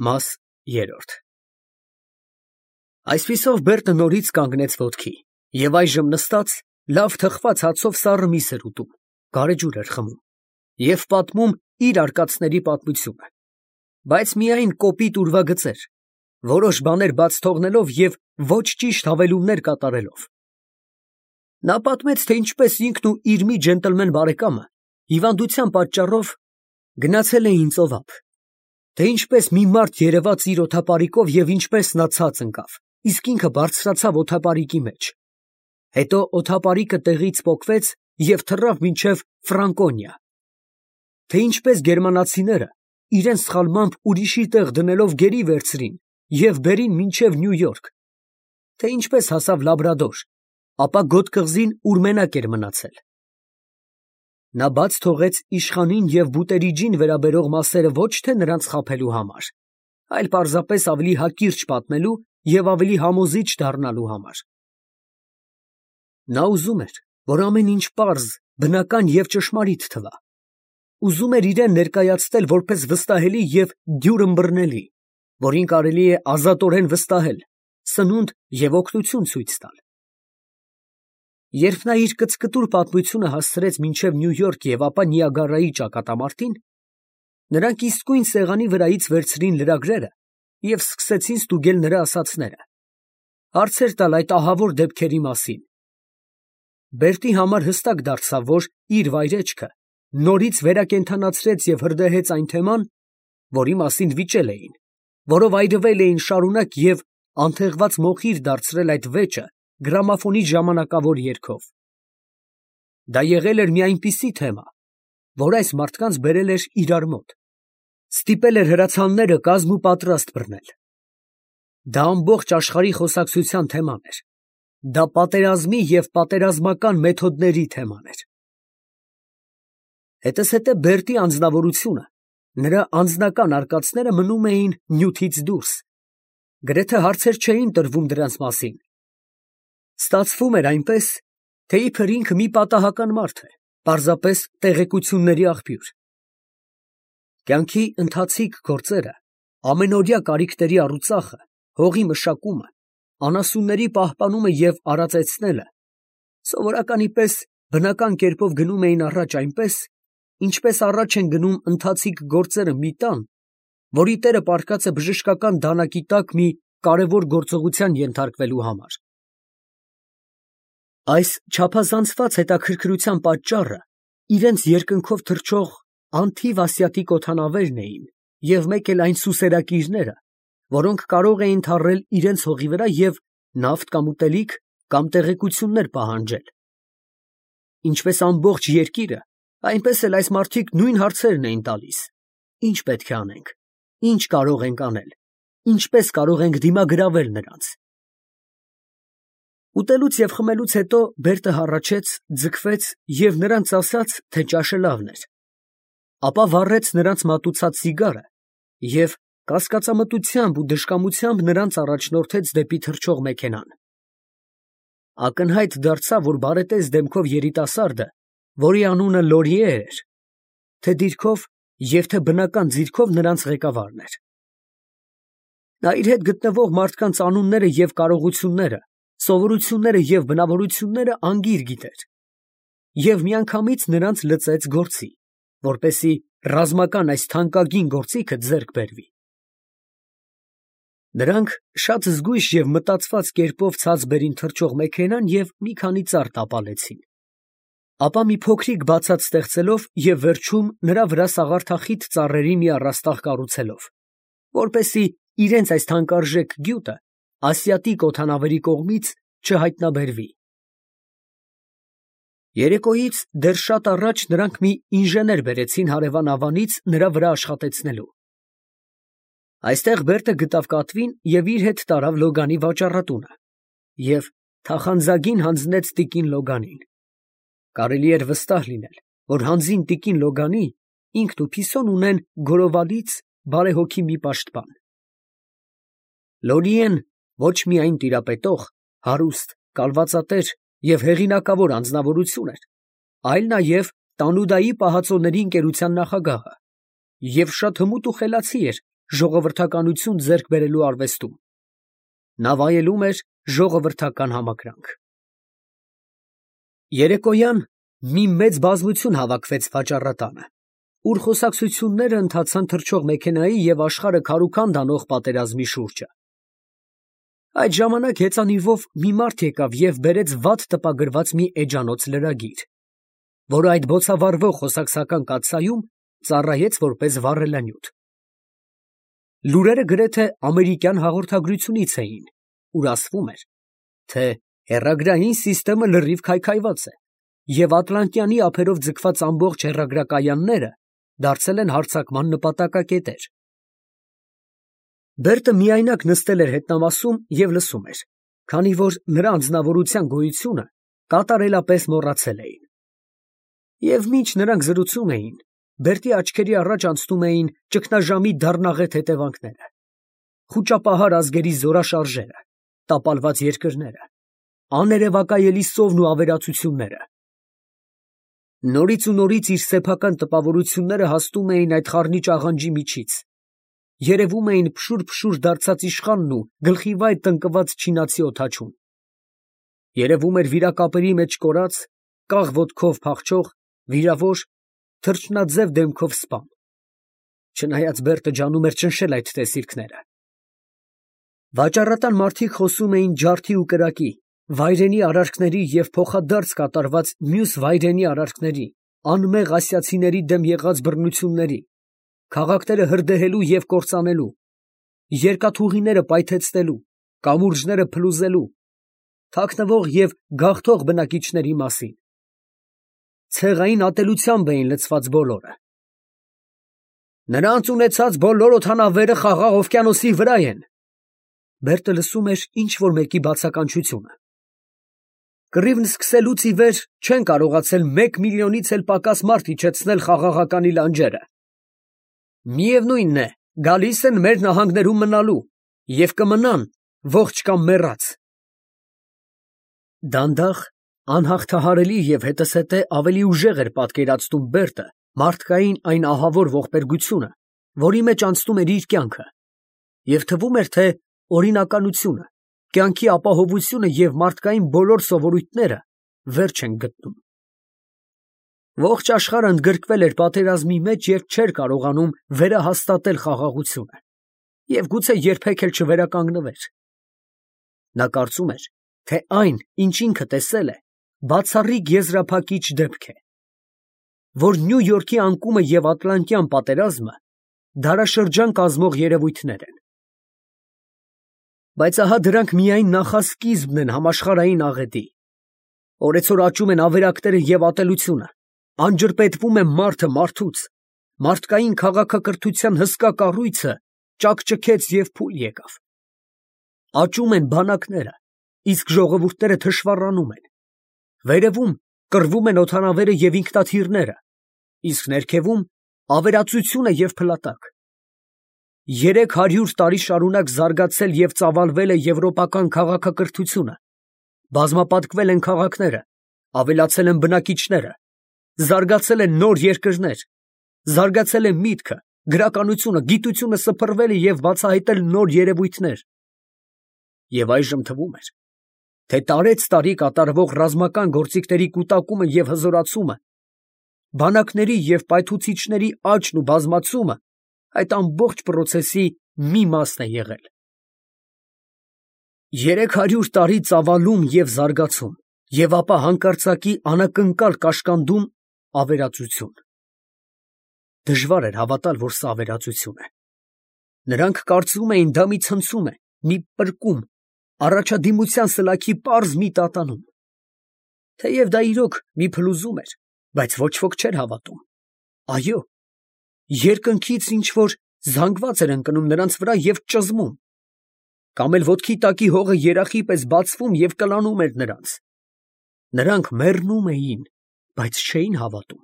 Մաս երրորդ Այսպիսով Բերտը նորից կանգնեց ոտքի և այժմ նստած լավ թխված հացով սառը միս էր ուտում, գարեջուր էր խմում և պատմում իր արկածների պատմությունը, բայց միայն կոպիտ ուրվագծեր, որոշ բաներ բաց թողնելով և ոչ ճիշտ հավելումներ կատարելով։ Նա պատմեց, թե ինչպես ինքն ու իր մի ջենտլմեն բարեկամը հիվանդության պատճառով գնացել էին ծովափ, թե ինչպես մի մարդ երևաց իր օդապարիկով և ինչպես նա ցած ընկավ, իսկ ինքը բարձրացավ օդապարիկի մեջ, հետո օդապարիկը տեղից պոկվեց և թռավ մինչև Ֆրանկոնիա, թե ինչպես գերմանացիները իրենց սխալմամբ ուրիշի տեղ դնելով գերի վերցրին և բերին մինչև Նյու Յորք, թե ինչպես հասավ Լաբրադոր, ապա գոտ կղզին, ուր մենակ էր մնացել։ Նա բաց թողեց իշխանին և բուտերիջին վերաբերող մասերը ոչ թե նրանց խաբելու համար, այլ պարզապես ավելի հակիրճ պատմելու և ավելի համոզիչ դառնալու համար։ Նա ուզում էր, որ ամեն ինչ պարզ, բնական և ճշմարիտ թվա, ուզում էր իրան ներկայացնել որպես վստահելի և դյուրըմբռնելի, որին կարելի է ազատորեն վստահել, սնունդ և օգնություն ցույց տալ։ Երբ նա իր կծկտուր պատմությունը հասցրեց մինչև Նյու Յորք և ապա Նիագարայի ճակատամարտին, նրանք իսկույն սեղանի վրայից վերցրին լրագրերը և սկսեցին ստուգել նրա ասածները, հարցեր տալ այդ ահավոր դեպքերի մասին։ Բերտի համար հստակ դարձավ, որ իր վայրեջքը նորից վերակենդանացրեց և հրդեհեց այն թեման, որի մասին վիճել էին, որով այրվել էին շարունակ և անթեղված մոխիր դարձրել այդ վեճը գրամոֆոնի ժամանակավոր երգով։ Դա եղել էր մի այնպիսի թեմա, որ այս մարդկանց բերել էր իրար մոտ, ստիպել էր հրացանները կազմ ու պատրաստ բռնել։ Դա ամբողջ աշխարհի խոսակցության թեման էր, դա պատերազմի և պատերազմական մեթոդների թեման էր։ Հետզհետե Բերտի անձնավորությունը, նրա անձնական արկածները մնում էին նյութից դուրս, գրեթե հարցեր չէին տրվում դրանց մասին։ Ստացվում էր այնպես, թե իբր ինքը մի պատահական մարդ է, պարզապես տեղեկությունների աղբյուր։ Կյանքի ընթացիկ գործերը, ամենօրյա կարիքների առուծախը, հողի մշակումը, անասունների պահպանումը և արածեցնելը սովորականի պես բնական կերպով գնում էին առաջ այնպես, ինչպես առաջ են գնում ընթացիկ գործերը մի տան, որի տերը պառկած է բժշկական դանակի տակ մի կարևոր գործողության ենթարկվելու համար։ Այս չափազանցված հետաքրքրության պատճառը իրենց երկնքով թռչող անթիվ ասիատիկ օդանավերն էին և մեկ էլ այն սուսերակիրները, որոնք կարող էին թռել իրենց հողի վրա և նավթ կամ ուտելիք կամ տեղեկություններ պահանջել։ Ինչպես ամբողջ երկիրը, այնպես էլ այս մարդիկ նույն հարցերն էին տալիս. ինչ պետք է անենք, ինչ կարող ենք անել, ինչպես կարող ենք դիմագրավել նրանց։ Ուտելուց և խմելուց հետո Բերտը հառաչեց, ձգվեց և նրանց ասաց, թե ճաշը լավն էր, ապա վառեց նրանց մատուցած սիգարը և կասկածամտությամբ ու դժկամությամբ նրանց առաջնորդեց դեպի թռչող մեքենան։ Ակնհայտ դարձավ, որ բարետես դեմքով երիտասարդը, որի անունը Լորիե էր, թե դիրքով և թե բնական ձիրքով նրանց ղեկավարն էր։ Նա իր հետ գտնվող մարդկանց անունները և կարողությունները, սովորությունները և բնավորությունները անգիր գիտեր և միանգամից նրանց լծեց գործի, որպեսզի ռազմական այս թանկագին գործիքը ձեռք բերվի։ Նրանք շատ զգույշ և մտածված կերպով ցած բերին թռչող մեքենան և մի քանի ծառ տապալեցին, ապա մի փոքրիկ բացատ ստեղծելով և վերջում նրա վրա սաղարթախիտ ծառերի մի առաստաղ կառուցելով, որպեսզի իրենց այս թանկարժեք գյուտը ասիատիկ օդանավերի կողմից չհայտնաբերվի։ Երեկոյից դեռ շատ առաջ նրանք մի ինժեներ բերեցին հարևան ավանից նրա վրա աշխատեցնելու։ Այստեղ Բերտը գտավ կատվին և իր հետ տարավ Լոգանի վաճառատունը և թախանձագին հանձնեց տիկին Լոգանին։ Կարելի էր վստահ լինել, որ հանձին տիկին Լոգանի ինքն ու Փիսոն ունեն գորովալից բարեհոգի մի պաշտպան։ Լորիեն ոչ միայն տիրապետող, հարուստ, կալվածատեր և հեղինակավոր անձնավորություն էր, այլ նաև Տանուդայի պահածոների ընկերության նախագահը և շատ հմուտ ու խելացի էր ժողովրդականություն ձեռք բերելու արվեստում։ Նա վայելում էր ժողովրդական համակրանք։ Երեկոյան մի մեծ բազմություն հավաքվեց վաճառատանը, ուր խոսակցությունները ընթացան թռչող մեքենայի և աշխարհը քարուքանդ անող պատերազմի շուրջը։ Այդ ժամանակ հեծանիվով մի մարդ եկավ և բերեց վատ տպագրված մի էջանոց լրագիր, որը այդ բոցավառվող խոսակցական կաթսայում ծառայեց որպես վառելանյութ։ Լուրերը գրեթե ամերիկյան հաղորդագրությունից էին, ուր ասվում էր, թե հեռագրային սիստեմը լրիվ քայքայված է, և ատլանտյանի ափերով ձգված ամբողջ հեռագրակայանները դարձել են հարձակման նպատակակետեր։ Բերտը միայնակ նստել էր հետնամասում և լսում էր, քանի որ նրա անձնավորության գոյությունը կատարելապես մոռացել էին։ Եվ մինչ նրանք զրուցում էին, Բերտի աչքերի առաջ անցնում էին ճգնաժամի դառնաղետ հետևանքները, խուճապահար ազգերի զորաշարժերը, տապալված երկրները, աներևակայելի սովն ու ավերածությունները։ Նորից ու նորից իր սեփական տպավորությունները հասնում էին այդ խառնիչ աղանջի միջից, երևում էին փշուր դարձած իշխանն ու գլխիվայր տնկված չինացի օդաչուն։ Երևում էր վիրակապերի մեջ կորած, կաղ ոտքով փախչող, վիրավոր, թռչնաձև դեմքով սպան։ Չնայած Բերտը ջանում էր ճնշել այդ տեսիլքները։ Վաճառատան մարդիկ խոսում էին ջարդի ու կրակի, վայրենի արարքների և փոխադարձ կատարված մյուս վայրենի արարքների, անմեղ ասիացիների դեմ եղած բռնությունների, քաղաքները հրդեհելու և կործանելու, երկաթուղիները պայթեցնելու, կամուրջները փլուզելու, թաքնվող և գաղթող բնակիչների մասին։ Ցեղային ատելությամբ էին լցված բոլորը։ Նրանց ունեցած բոլոր օդանավերը Խաղաղ օվկիանոսի վրա են։ Բերտը լսում էր ինչ֊որ մեկի բացականչությունը։ Կռիվն սկսելուց ի վեր չեն կարողացել 1 միլիոնից էլ պակաս մարդ իջեցնել խաղաղականի լանջերը։ Միևնույն է, գալիս են մեր նահանգներում մնալու և կմնան ողջ կամ մեռած։ Դանդաղ, անհաղթահարելի և հետզհետե ավելի ուժեղ էր պատկերացնում Բերտը մարդկային այն ահավոր ողբերգությունը, որի մեջ անցնում էր իր կյանքը, և թվում էր, թե օրինականությունը, կյանքի ապահովությունը և մարդկային բոլոր սովորույթները վերջ են գտնում։ Ողջ աշխարհը ընդգրկվել էր պատերազմի մեջ և չէր կարողանում վերահաստատել խաղաղությունը և գուցե երբեք էլ չվերականգնվեր։ Նա կարծում էր, թե այն, ինչ ինքը տեսել է, բացառիկ եզրափակիչ դեպք է, որ Նյու Յորքի անկումը և Ատլանտյան պատերազմը դարաշրջան կազմող երևույթներ են։ Բայց ահա դրանք միայն նախասկիզբն են համաշխարհային աղետի։ Օրեցօր աճում են ավերակները և ատելությունը, անջրպետվում է մարդը մարդուց, մարդկային քաղաքակրթության հսկա կառույցը ճաքճքեց և փուլ եկավ։ Աճում են բանակները, իսկ ժողովուրդները թշվառանում են։ Վերևում կռվում են օդանավերը և ինքնաթիռները, իսկ ներքևում ավերածությունը և փլատակ։ 300 տարի շարունակ զարգացել և ծավալվել է եվրոպական քաղաքակրթությունը, բազմապատկվել են քաղաքները, ավելացել են բնակիչները, զարգացել են նոր երկրներ, զարգացել է միտքը, գրականությունը, գիտությունը սփռվել է և բացահայտել նոր երևույթներ։ Եվ այժմ թվում էր, թե տարեցտարի կատարվող ռազմական գործիքների կուտակումը և հզորացումը, բանակների և պայթուցիչների աճն ու բազմացումը այդ ամբողջ պրոցեսի մի մասն է եղել։ 300 տարի ծավալում և զարգացում, և ապա հանկարծակի անակնկալ կաշկանդում ավերածություն։ Դժվար էր հավատալ, որ սա ավերածություն է։ Նրանք կարծում էին, դա մի ցնցում է, մի պրկում, առաջադիմության սլաքի պարզ մի տատանում։ Թեև դա իրոք մի փլուզում էր, բայց ոչ ոք չէր հավատում։ Այո, երկնքից ինչ֊որ զանգված էր ընկնում նրանց վրա և ճզմում, կամ էլ ոտքի տակի հողը երախի պես բացվում և կլանում էր նրանց։ Նրանք մեռնում էին, բայց չէին հավատում։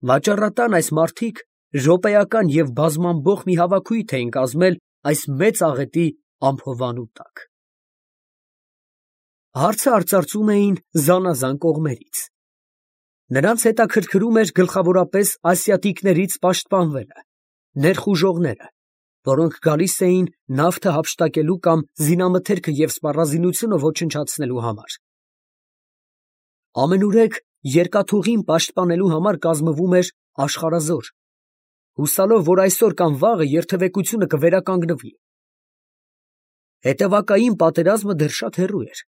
Վաճառատան այս մարդիկ րոպեական և բազմամբող մի հավաքույթ էին կազմել այս մեծ աղետի ամփովանու տակ։ Հարցը արծարծում էին զանազան կողմերից։ Նրանց հետաքրքրում էր գլխավորապես ասիատիկներից պաշտպանվելը, ներխուժողները, որոնք գալիս էին նավթը հափշտակելու կամ զինամթերքը և սպառազինությունը ոչնչացնելու համար։ Ամենուրեք երկաթուղին պաշտպանելու համար կազմվում էր աշխարհազոր, հուսալով, որ այսօր կամ վաղը երթևեկությունը կվերականգնվի։ Հետևակային պատերազմը դեռ շատ հեռու էր։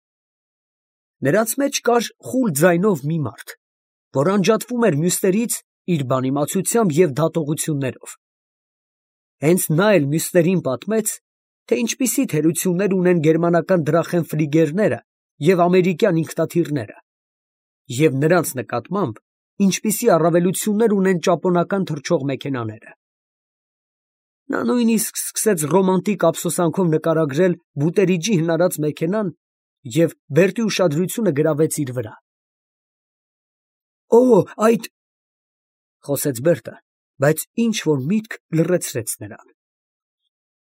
Նրանց մեջ կար խուլ ձայնով մի մարդ, որ անջատվում էր մյուսներից իր բանիմացությամբ և դատողություններով։ Հենց նա էլ մյուսներին պատմեց, թե ինչպիսի թերություններ ունեն գերմանական դրախենֆլիգերները և ամերիկյան ինքնաթիռները, և նրանց նկատմամբ ինչպիսի առավելություններ ունեն ճապոնական թռչող մեքենաները։ Նա նույնիսկ սկսեց ռոմանտիկ ափսոսանքով նկարագրել Բուտերիջի հնարած մեքենան և Բերտի ուշադրությունը գրավեց իր վրա։ «Օ, այդ…» խոսեց Բերտը, բայց ինչ֊որ միտք լռեցրեց նրան։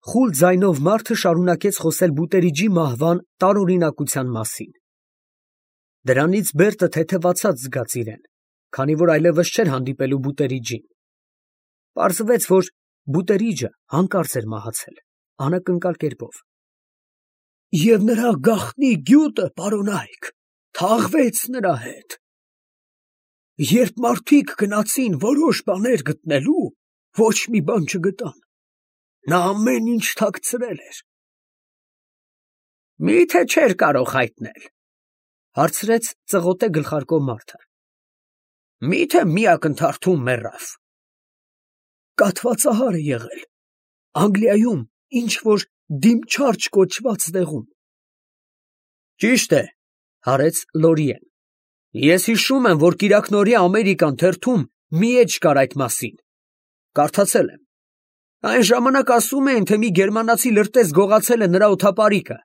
Խուլ ձայնով մարդը շարունակեց խոսել Բուտերիջի մահվան տարօրինակության մասին։ Դրանից Բերտը թեթևացած զգաց իրեն, քանի որ այլևս չէր հանդիպելու Բուտերիջին։ Պարզվեց, որ Բուտերիջը հանկարծ էր մահացել, անակնկալ կերպով։ «Եվ նրա գաղտնի գյուտը, պարոնայք, թաղվեց նրա հետ։ Երբ մարդիկ գնացին որոշ բաներ գտնելու, ոչ մի բան չգտան. նա ամեն ինչ թաքցրել էր»։ «Մի՞թե չէր կարող հայտնել», հարցրեց ծղոտե գլխարկով մարդը։ «Մի՞թե մի ակնթարթում մեռավ»։ «Կաթվածահար է եղել, Անգլիայում ինչ֊որ Դիմչարջ կոչված տեղում»։ «Ճիշտ է», հարեց Լորիեն։ «Ես հիշում եմ, որ կիրակնօրյա Ամերիկան թերթում մի էջ կար այդ մասին. կարդացել եմ։ Այն ժամանակ ասում էին, թե մի գերմանացի լրտես գողացել է նրա օդապարիկը»։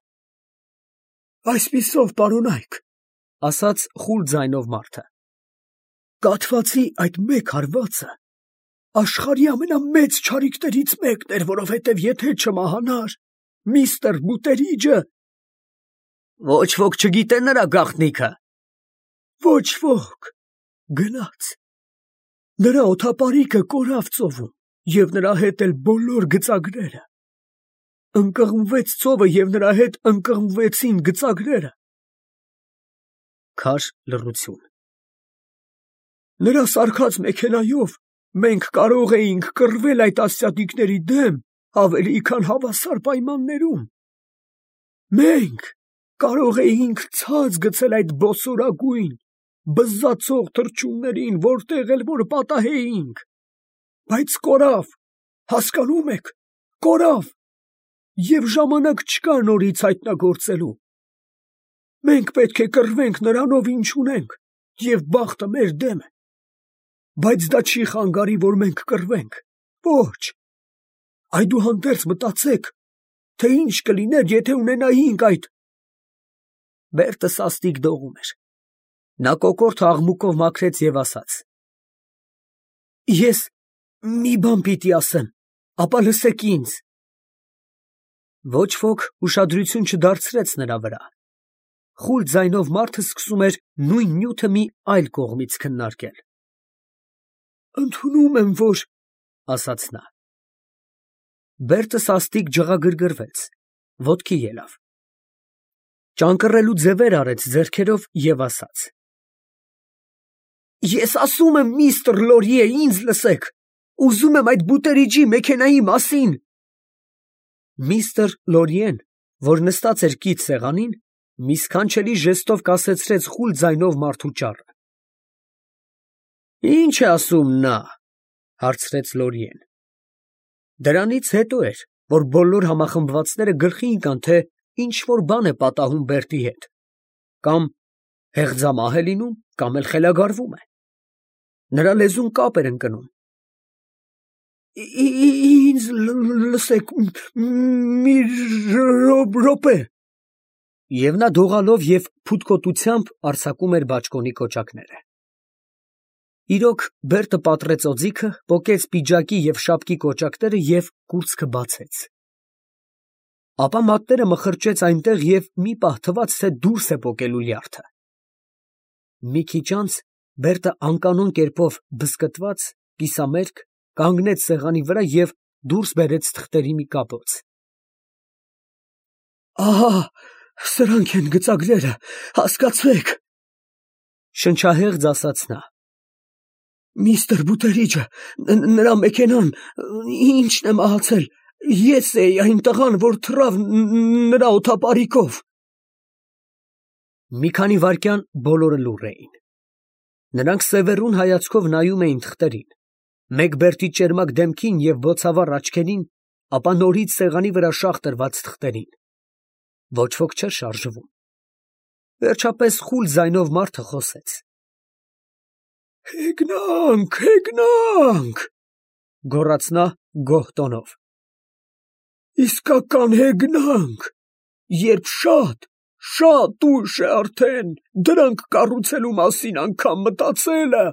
«Այսպիսով, պարոնայք, ասաց խուլ ձայնով մարդը, կաթվածի այդ մեկ հարվածը աշխարհի ամենամեծ չարիքներից մեկն էր, որովհետև եթե չմահանար միստր Բուտերիջը… Ոչ ոք չգիտե նրա գաղտնիքը։ Ոչ ոք, գնաց։ Նրա օդապարիկը կորավ ծովում, և նրա հետ էլ բոլոր գծագրերը։ Ընկղմվեց ծովը, և նրա հետ ընկղմվեցին գծագրերը։ Քար լռություն։ Նրա սարքած մեքենայով մենք կարող էինք կռվել այդ ասյատիկների դեմ ավելի քան հավասար պայմաններում։ Մենք կարող էինք ցած գցել այդ բոսորագույն, բզզացող թռչուններին, որտեղ էլ որ պատահեինք, բայց կորավ, հասկանում եք, կորավ, և ժամանակ չկա նորից հայտնագործելու։ Մենք պետք է կռվենք նրանով, ինչ ունենք, և բախտը մեր դեմ է։ Բայց դա չի խանգարի, որ մենք կռվենք, ոչ։ Այդուհանդերձ մտածեք, թե ինչ կլիներ, եթե ունենայինք այդ… Բերտը սաստիկ դողում էր։ Նա կոկորդը աղմուկով մաքրեց և ասաց. «Ես մի բան պիտի ասեմ, ապա լսեք ինձ»։ Ոչ ոք ուշադրություն չդարձրեց նրա վրա։ Խուլ ձայնով մարդը սկսում էր նույն նյութը մի այլ կողմից քննարկել։ «Ընդունում եմ, որ…» ասաց նա։ Բերտը սաստիկ ջղագրգռվեց, ոտքի ելավ։ Ճանկռելու ձևեր արեց ձեռքերով և ասաց. «Ես ասում եմ, միստր Լորիե, ինձ լսեք, ուզում եմ այդ Բուտերիջի մեքենայի մասին»։ Միստր Լորիեն, որ նստած էր կից սեղանին, մի սքանչելի ժեստով կասեցրեց խուլ ձայնով մարդու ճառը։ «Ի՞նչ է ասում նա», հարցրեց Լորիեն։ Դրանից հետո էր, որ բոլոր համախմբվածները գլխի ընկան, թե ինչ֊որ բան է պատահում Բերտի հետ, կամ հեղձամահ է լինում, կամ էլ խելագարվում է։ Նրա լեզուն կապ էր ընկնում։ «Ինձ լսեք մի րոպե»։ Եվ նա դողալով և փութկոտությամբ արձակում էր բաճկոնի կոճակները։ Իրոք, Բերտը պատռեց օձիքը, պոկեց պիջակի և շապկի կոճակները և կուրծքը բացեց։ Ապա մատները մխրճեց այնտեղ և մի պահ թվաց, թե դուրս է պոկելու լյարդը։ Մի քիչ անց Բերտը անկանոն կերպով բզկտված, կիսամերկ, կանգնեց սեղանի վրա և դուրս բերեց թղթերի մի կապոց։ Ահա, սրանք են գծագրերը, հասկացեք, շնչահեղձ ասաց նա։ Միստր Բութերիջը, նրա մեքենան, ինչն է մահացել, ես էի այն տղան, որ թռավ նրա օդապարիկով։ Մի քանի վայրկյան բոլորը լուռ էին։ Նրանք սևեռուն հայացքով նայում էին թղթերին, մեկ բերդի ճերմակ դեմքին և բոցավառ աչքերին, ապա նորից սեղանի վրա շաղ տրված թղթերին։ Ոչ ոք չէր շարժվում։ Վերջապես խուլ ձայնով մարդը խոսեց. Հեգնանք, հեգնանք, գոռաց նա գոհ տոնով։ Իսկական հեգնանք, երբ շատ ուշ է արդեն, դրանք կառուցելու մասին անգամ մտածելը։